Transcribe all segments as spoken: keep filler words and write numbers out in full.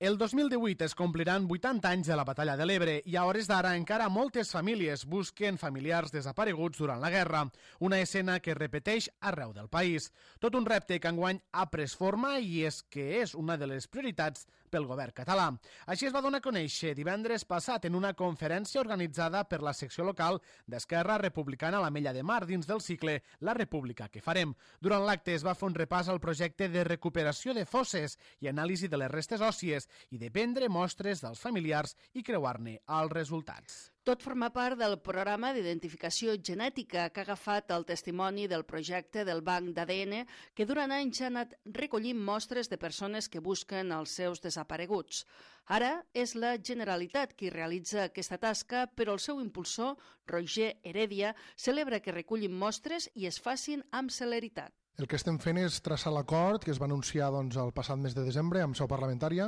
El dos mil divuit es compliran vuitanta anys de la Batalla de l'Ebre i a hores d'ara encara moltes famílies busquen familiars desapareguts durant la guerra, una escena que es repeteix arreu del país. Tot un repte que enguany ha pres forma i és que és una de les prioritats pel govern català. Així es va donar a conèixer divendres passat en una conferència organitzada per la secció local d'Esquerra Republicana a l'Ametlla de Mar dins del cicle La República que farem. Durant l'acte es va fer un repàs al projecte de recuperació de fosses i anàlisi de les restes òssies i de prendre mostres dels familiars i creuar-ne els resultats. Tot forma part del programa d'identificació genètica que ha agafat el testimoni del projecte del Banc d'A D N que durant anys ha anat recollint mostres de persones que busquen els seus desapareguts. Ara és la Generalitat qui realitza aquesta tasca, però el seu impulsor, Roger Heredia, celebra que recullin mostres i es facin amb celeritat. El que estem fent és traçar l'acord que es va anunciar doncs, el passat mes de desembre amb seu parlamentària,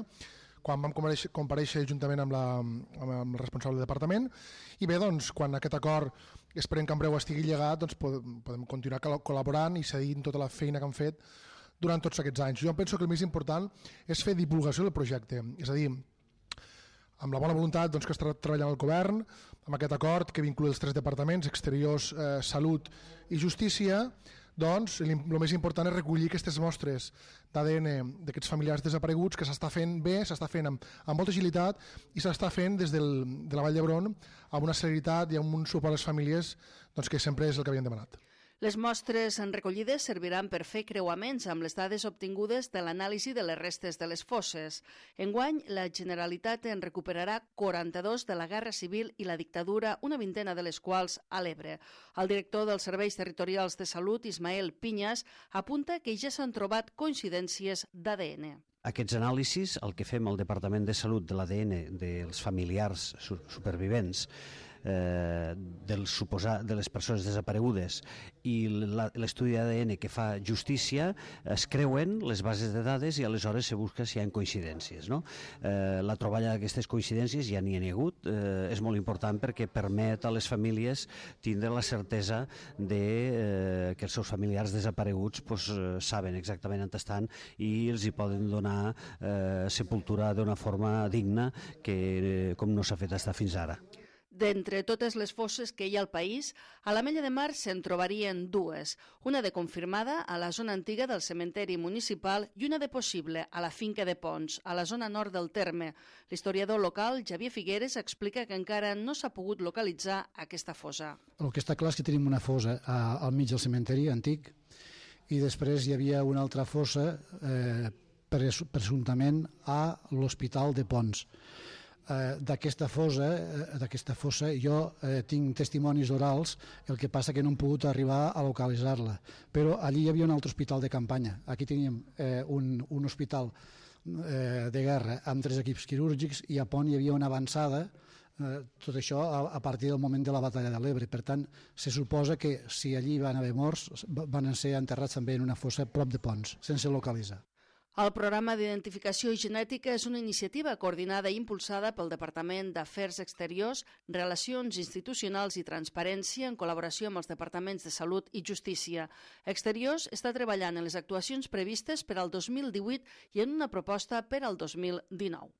quan vam compareixer, compareixer juntament amb, la, amb el responsable del departament, i bé, doncs, quan aquest acord esperem que en breu estigui llegat, doncs podem continuar col·laborant i seguint tota la feina que han fet durant tots aquests anys. Jo penso que el més important és fer divulgació del projecte, és a dir, amb la bona voluntat doncs, que està treballant el govern, amb aquest acord que vincula els tres departaments, Exteriors, eh, Salut i Justícia, doncs el més important és recollir aquestes mostres d'A D N d'aquests familiars desapareguts que s'està fent bé, s'està fent amb, amb molta agilitat i s'està fent des del, de la Vall d'Hebron amb una celeritat i amb un suport a les famílies doncs, que sempre és el que havien demanat. Les mostres recollides serviran per fer creuaments amb les dades obtingudes de l'anàlisi de les restes de les fosses. Enguany, la Generalitat en recuperarà quaranta-dos de la Guerra Civil i la dictadura, una vintena de les quals a l'Ebre. El director dels Serveis Territorials de Salut, Ismael Piñas, apunta que ja s'han trobat coincidències d'A D N. Aquests anàlisis, el que fem al Departament de Salut de l'A D N dels familiars supervivents, eh, dels suposat, de les persones desaparegudes i l'estudi d'A D N que fa Justícia, es creuen les bases de dades i aleshores se busca si hi ha coincidències. No? Eh, la troballa d'aquestes coincidències ja n'hi ha hagut, eh, és molt important perquè permet a les famílies tindre la certesa de, eh, que els seus familiars desapareguts pues, eh, saben exactament on estan i els hi poden donar eh, sepultura d'una forma digna que eh, com no s'ha fet estar fins ara. D'entre totes les fosses que hi ha al país, a l'Ametlla de Mar se'n trobarien dues, una de confirmada a la zona antiga del cementeri municipal i una de possible a la finca de Pons, a la zona nord del terme. L'historiador local, Xavier Figueres, explica que encara no s'ha pogut localitzar aquesta fossa. El que està clar és que tenim una fossa al mig del cementeri antic i després hi havia una altra fossa eh, presumptament a l'Hospital de Pons. Eh, d'aquesta fossa, eh, d'aquesta fossa jo eh, tinc testimonis orals, el que passa que no hem pogut arribar a localitzar-la, però allí hi havia un altre hospital de campanya. Aquí teníem eh, un, un hospital eh, de guerra amb tres equips quirúrgics i a Pont hi havia una avançada, eh, tot això a, a partir del moment de la batalla de l'Ebre. Per tant, se suposa que si allí van haver morts, van ser enterrats també en una fossa prop de Pons, sense localitzar. El programa d'identificació genètica és una iniciativa coordinada i impulsada pel Departament d'Afers Exteriors, Relacions Institucionals i Transparència en col·laboració amb els departaments de Salut i Justícia. Exteriors està treballant en les actuacions previstes per al dos mil divuit i en una proposta per al dos mil dinou.